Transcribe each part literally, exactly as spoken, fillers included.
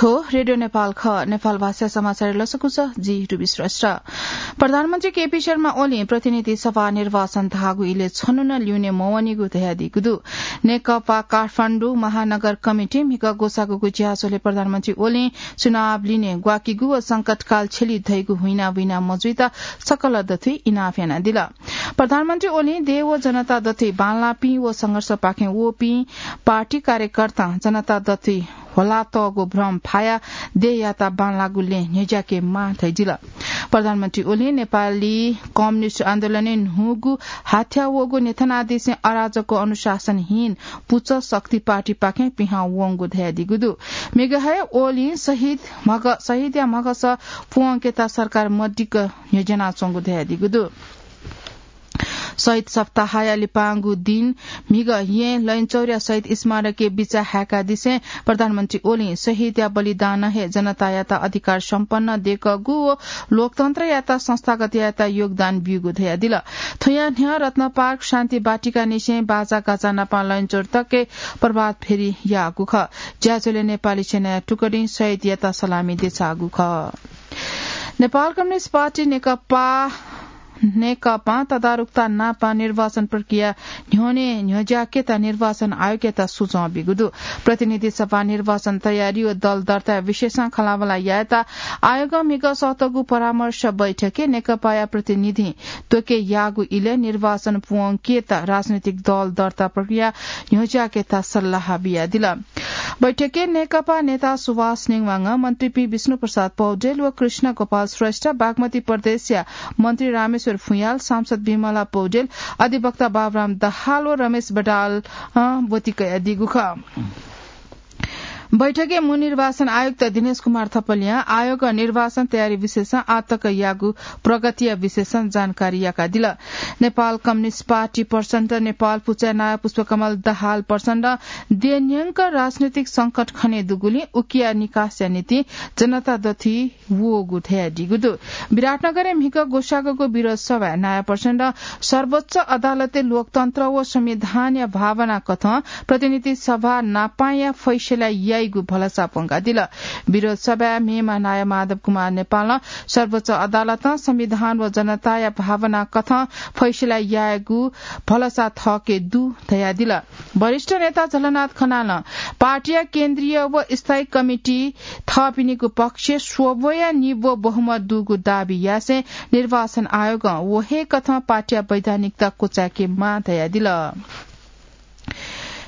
थ्व रेडियो नेपाल खः। नेपाल भाषा समाचार लसकुस, जि रुबी श्रेष्ठ। प्रधानमन्त्री केपी शर्मा ओलीं प्रतिनिधि सभा निर्वाचन धाःगु इलय् छन्हु नं ल्यूने मवनीगु धयादीगु दु। नेकपा काठमाडौं महानगर कमिटी म्हिगः ग्वसाःगु ज्याझ्वलय् प्रधानमन्त्री ओलीं चुनाव लिने ग्वाकीगु व संकटकाल छ्यली धइगु हुइना हुइना मजुइत सकल दथुइ इनाप यानादिल। प्रधानमन्त्री ओलीं देय् व जनता दथुइ बांलाःपिं व संघर्षपाखें वःपिं पार्टी कार्यकर्तां जनता दथुइ ह्वलातःगु भ्रम फायाः देय्‌यात बांलाःगु लँय् न्ह्यज्याके माः धयादिल। प्रधानमन्त्री ओलीं नेपाली कम्युनिस्ट आन्दोलनय् न्हूगु हाथ्या वःगु न्ह्यथनादिसें अराजक, अनुशासनहीन पुचः शक्ति पार्टीपाखें पिहां वंगु धयादीगु दु। म्हिगः हे ओलीं शहीद म्हग-, शहीदया म्हगस प्वंकेत सरकार मदिक्क न्ह्यज्यानाच्वंगु धयादीगु दु। शहीद सप्ताहया लिपांगु दिं म्हिगः यें लैनचौरया शहीद स्मारकय् बिचाः हाय्‌कादिसें प्रधानमन्त्री ओलीं शहीदया बलिदानं हे जनतायात अधिकार सम्पन्न देकःगु व लोकतन्त्रयात संस्थागत यायेत योगदान ब्यूगु धयादिल। थ्वयां न्ह्यः रत्नपार्क शान्ति बाटिकानिसें बाजागाजा नापं लैनचौर तक प्रभात फेरी याःगु खः। ज्याझ्वलय् नेपाली सेनाया टुकडीं शहीदयात सलामी देछाःगु खः। नेपाल कम्युनिस्ट पार्टी नेकपा नेकपां तदारुकता नाप निर्वाचन प्रक्रिया न्ह्यःने न्ह्यज्याकेत निर्वाचन आयोगयात सुझाव ब्यूगु दु। प्रतिनिधि सभा निर्वाचन तयारी व दल दर्ता विषयसं खँल्हाबल्हा यायेत आयोगं म्हिगः सःतःगु परामर्श बैठकय् नेकपाया प्रतिनिधिं त्वके याःगु इलय् निर्वाचन प्वंकेत राजनैतिक दल दर्ता प्रक्रिया न्ह्यज्याकेत सल्लाह बियादिल। बैठकय् नेकपा नेता सुभाष नेवांग, मन्त्रीपिं विष्णु प्रसाद पौडेल व कृष्ण गोपाल श्रेष्ठ, बागमती प्रदेशया मन्त्री रामेश्वर फुयाल, सांसद विमला पौडेल, अधिवक्ता बाबुराम दाहाल व रमेश बडाल, अ, ब्वति कयादीगु खः। बैठकय् मू निर्वाचन आयुक्त दिनेश कुमार थपलियां आयोग निर्वाचन तयारी विषयसं आतक याःगु प्रगतिया विषयसं जानकारी याकादिल। नेपाल कम्युनिस्ट पार्टी प्रचण्ड, नेपाल पुचय् नायः पुष्पकमल दाहाल प्रचण्ड देय्‌न्यंक राजनैतिक संकट खने दुगुलिं उकिया निकासया निंतिं जनता दथुइ वःगु धयादीगु दु। विराटनगरय् म्हिगः ग्वसाःगु विरोध सभाय् नायः प्रचण्डं सर्वोच्च अदालतय् लोकतन्त्र व संविधानया भावना कथं प्रतिनिधि सभा नापांया फैसला याइगु भलसा प्वंकादिल। विरोध सभाय् मेम्ह नायः माधव कुमार नेपालं सर्वोच्च अदालतं संविधान व जनताया भावना कथं फैसला यायेगु भलसा थःके दु धयादिल। वरिष्ठ नेता झलनाथ खनालं पार्टीया केन्द्रीय व स्थायी कमिटी थःपिनिगु पक्षय् स्वब्वया निब्व बहुमत दुगु दाबी यासें निर्वाचन आयोगं व हे कथं पार्टीया वैधानिकता क्वचाय्‌के माः धयादिल।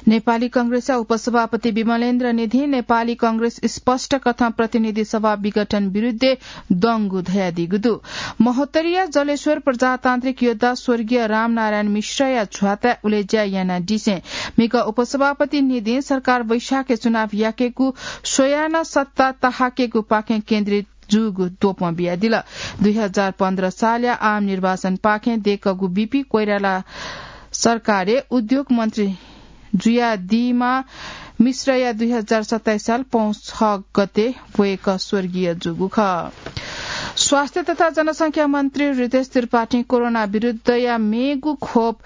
नेपाली कांग्रेसया उपसभापति विमलेन्द्र निधिं नेपाली कांग्रेस स्पष्ट कथं प्रतिनिधि सभा विघटन विरुद्धय् दंगु धयादीगु दु। महोत्तरीया जलेश्वर प्रजातान्त्रिक योद्धा स्वर्गीय रामनारायण मिश्रया झ्वाताय् उलेज्या यानादिसें म्हिगः उपसभापति निधिं सरकार वैशाखय् चुनाव याकेगु स्वयाः नं सत्ता तःहाकेगुपाखें केन्द्रित जूगु द्वपं बियादिल। दुई हजार पन्ध्र सालया आम निर्वाचनपाखें देकःगु बीपी कोइराला सरकारय् उद्योग मन्त्री जुयादीम्ह मिश्रया दुई हजार सत्ताइस साल पौष छ गते वय्‌कः स्वर्गीय जूगु खः। स्वास्थ्य तथा जनसंख्या मन्त्री रितेश त्रिपाठीं कोरोना विरुद्धया मेगु खोप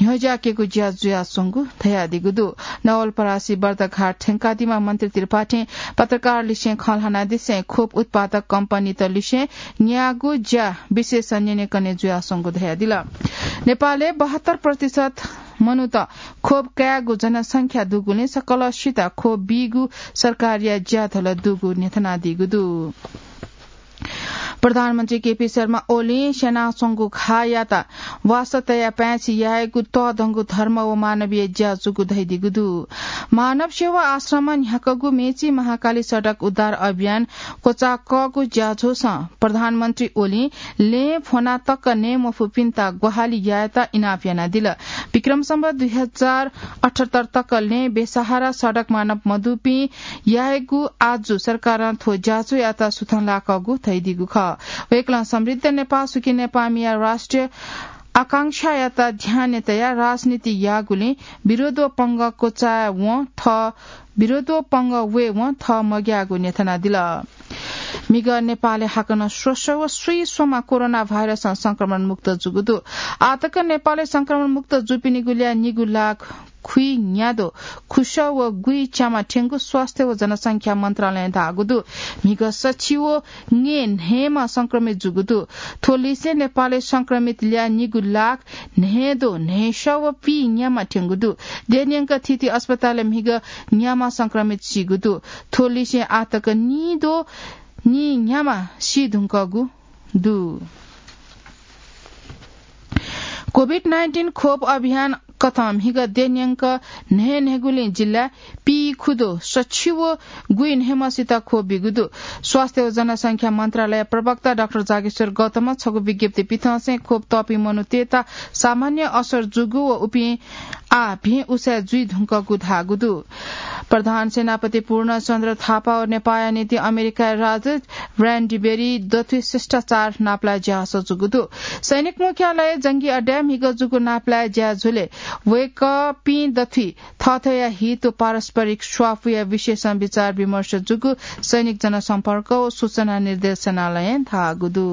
न्ह्यज्याकेगु ज्या जुयाच्वंगु धयादीगु दु। नवलपरासी बर्दघाट थ्यंकादीम्ह मन्त्री त्रिपाठीं पत्रकारलिसें खँ ल्हानादिसें खोप उत्पादक कम्पनीतलिसें न्यागू ज्या विशेष न्यनेकने जुयाच्वंगु धयादिल। नेपालय् बहत्तर प्रतिशत मनूत खोप कायेगु जनसंख्या दुगुलिं सकलसित खोप बीगु सरकारया ज्याधल दुगु न्ह्यथनादीगु दु। प्रधानमन्त्री केपी शर्मा ओलीं स्यनाच्वंगु घाःयात वासः तयाः पाय्छि यायेगु तःधंगु धर्म व मानवीय ज्या जूगु धयादीगु दु। मानव सेवा आश्रमं न्ह्याकागु मेची महाकाली सडक उद्धार अभियान क्वचाकःगु ज्याझ्वलय् प्रधानमन्त्री ओलीं लँय् फ्वना तक नये मफुपिन्त ग्वाहालि यायेत इनाप यानादिल। विक्रम सम्वत दुई हजार अठहत्तर तक लँय् बेसहारा सडक मानव मदुपिं यायेगु आजु सरकारं थ्व ज्याझ्वःयात सुथंलाकःगु धयादीगु खः। वय्कलं समृद्ध नेपाः, सुखी नेपाःमिया राष्ट्रिय आकांक्षायात ध्यानय् तयाः राजनीति याःगुलिं विरोध व पंगः क्वचाय्वं थः, विरोध व पंगः वयेवं थः मग्याःगु न्ह्यथनादिल। म्हिगः नेपालय् हाकनं स्वस्व व स्वीस्वम्ह कोरोना भाइरसं संक्रमण मुक्त जूगु दु। आःतक नेपालय् संक्रमण मुक्त जूपिनिगु ल्याः निगू लाख खुइन्याद्वः खुसः व गुइच्यामा थ्यंगु स्वास्थ्य व जनसंख्या मन्त्रालयं धाःगु दु। म्हिगः सछि व ङय् न्हय्‌म्ह संक्रमित जूगु दु। थ्व लिसें नेपालय् संक्रमित ल्याः निगू लाख न्हय्‌द्वः न्हय्‌सः व पीन्यामा थ्यंगु दु। देय्‌न्यंक थीथी अस्पतालय् म्हिगः न्याम्ह संक्रमित सीगु दु। थ्व लिसें आःतक नीद्वः नीन्यामा सी धुंकूगु दु। कोभिड नाइन्टिन खोप अभियान कथं म्हिगः देय्‌न्यंक न्हय्‌न्हय्‌गुलिं जिल्लाय् पीखुद्वः सछि व गुइन्हय्‌म्हसित खोप बीगु दु। स्वास्थ्य व जनसंख्या मन्त्रालय प्रवक्ता डाक्टर जागेश्वर गौतमं छगू विज्ञप्ति पिथंसें खोप तःपिं मनूतय्‌त सामान्य असर जूगु व उपिं आः भिं उसाँय् जुइ धुंकूगु धाःगु दु। प्रधान सेनापति पूर्णचन्द्र थापा व नेपाःया निंतिं अमेरिकाया राजदूत ब्रायन डिबेरी दथुइ शिष्टाचार नापलाये ज्याझ्वः जूगु दु। सैनिक मुख्यालय जंगी अड्डाय् म्हिगः जूगु नापलाये ज्याझ्वलय् वय्‌कःपिं दथुइ थःथःया हित व पारस्परिक स्वापूया विषयसं विचार विमर्श जूगु सैनिक जनसम्पर्क व सूचना निर्देशनालयं धाःगु दु।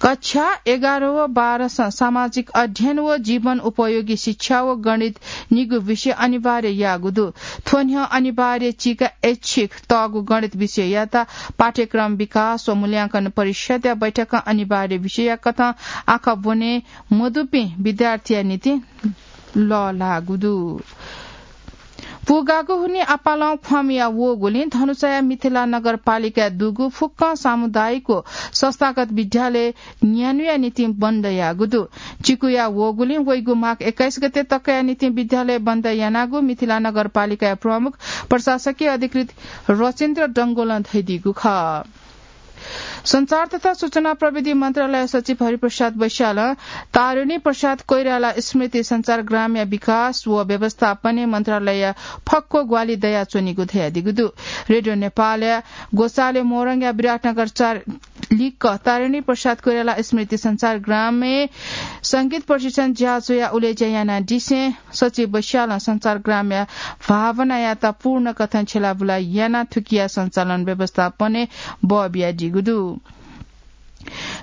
कक्षा एघार व बाह्रसं सामाजिक अध्ययन व जीवन उपयोगी शिक्षा व गणित निगू विषय अनिवार्य याःगु दु। थ्व न्ह्यः अनिवार्य चिका ऐच्छिक तःगु गणित विषययात पाठ्यक्रम विकास व मूल्यांकन परिषदया बैठकं अनिवार्य विषयया कथं आखः ब्वने मदुपिं विद्यार्थीया निंतिं लःल्हाःगु दु। पूगागु हुनिं आपालं ख्वाःमिया वःगुलिं धनुषाया मिथिला नगरपालिकाय् दुगु फुक्कं सामुदायिक व संस्थागत विद्यालय न्यान्हुया निंतिं बन्द याःगु दु। चिकुया वःगुलिं वइगु माघ एक्काइस गते तकया निंतिं विद्यालय बन्द यानागु मिथिला नगरपालिकाया प्रमुख प्रशासकीय अधिकृत रचिन्द्र डंगोलं धयादीगु खः। सञ्चार तथा सूचना प्रविधि मन्त्रालय सचिव हरिप्रसाद बैशालं तारिणी प्रसाद कोइराला स्मृति सञ्चारग्रामया विकास व व्यवस्थापनय् मन्त्रालयया फक्व ग्वाहालि दयाच्वनीगु धयादीगु दु। रेडियो नेपालया ग्वसालय् मोरङया विराटनगर चार लिक्क तारिणी प्रसाद कोइराला स्मृति सञ्चारग्रामय् संगीत प्रशिक्षण ज्याझ्वःया उलेज्या यानादिसें सचिव बैशालं सञ्चारग्रामया भावनायात पूर्ण कथं छ्यलाबुला यानाः थुकिया सञ्चालन व्यवस्थापनय् बः बियादीगु दु।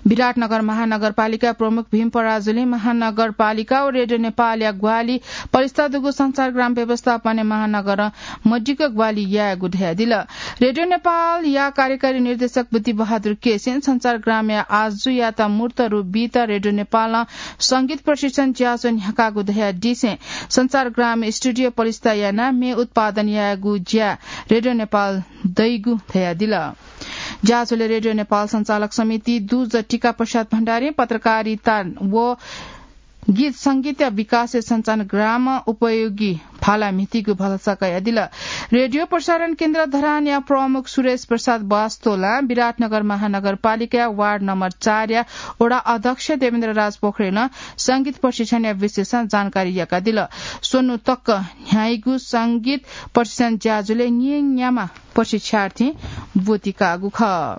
विराटनगर महानगरपालिका प्रमुख भीम पराजुलीं महानगरपालिका व रेडियो नेपालया ग्वाहालि पलिस्था दुगु सञ्चारग्राम व्यवस्थापनय् महानगरं मदिक्क ग्वाहालि यायेगु धयादिल। रेडियो नेपालया कार्यकारी निर्देशक बुद्धिबहादुर केसीं सञ्चारग्रामया आजुयात मूर्त रूप बीत रेडियो नेपालं संगीत प्रशिक्षण ज्याझ्वः न्ह्याकागु धयादिसें सञ्चारग्रामय् स्टुडियो पलिस्था यानाः म्ये उत्पादन यायेगु ज्या रेडियो नेपालं दइगु धयादिल। ज्याझ्वलय् रेडियो नेपाल सञ्चालक समिति दुजः टिका प्रसाद भण्डारीं पत्रकारिता व गीत संगीतया विकासय् सञ्चारग्रामं उपयोगी भाला म्हितीगु भलसा कयादिल। रेडियो प्रसारण केन्द्र धरानया प्रमुख सुरेश प्रसाद वास्तोलां विराटनगर महानगरपालिकाया वार्ड नम्बर चारया वडा अध्यक्ष देवेन्द्र राज पोखरेलं संगीत प्रशिक्षणया विषयसं जानकारी याकादिल। स्वन्हु तक न्ह्याइगु संगीत प्रशिक्षण ज्याझ्वलय् न्येन्याम्ह प्रशिक्षार्थीं ब्वति काःगु खः।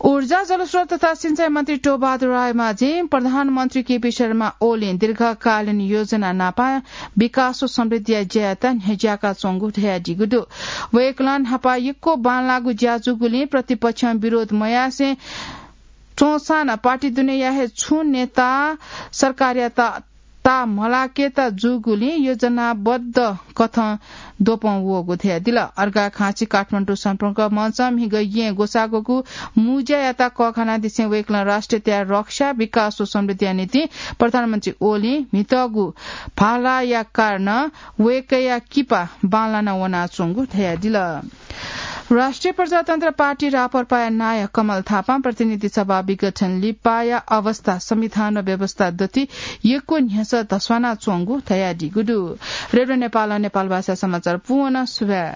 ऊर्जा, जलस्रोत तथा सिँचाइ मन्त्री टोबहादुर रायमाझीं प्रधानमन्त्री केपी शर्मा ओलीं दीर्घकालीन योजना नापं विकास व समृद्धिया ज्यायात न्ह्यज्याकाच्वंगु धयादीगु दु। वय्कलं न्हापा यक्व बांलाःगु ज्या जूगुलिं प्रतिपक्षं विरोध मयासें च्वंसां नं पार्टी दुनेया हे छुं नेतां सरकारयात ताःमलाकेत जूगुलिं योजनाबद्ध कथं द्वपं वःगु धयादिल। अर्घाखाँची काठमाडौं सम्पर्क मञ्चं म्हिगः येँ ग्वसाःग्वःगु मुँज्यायात कःघानादिसें वय्कलं राष्ट्रियताया रक्षा, विकास व समृद्धिया निंतिं प्रधानमन्त्री ओलीं म्हितःगु भालाया कारणं वय्कःया किपा बांलाना वनाच्वंगु धयादिल। राष्ट्रिय प्रजातन्त्र पार्टी, राप्रपाया नायः कमल थापां प्रतिनिधि सभा विघटन लिपाया अवस्था संविधान व व्यवस्था दथुइ यक्व न्ह्यसः धस्वानाच्वंगु धयादीगु दु। रेडियो नेपालं नेपालभाषा समाचार पूवना। सुभाय्।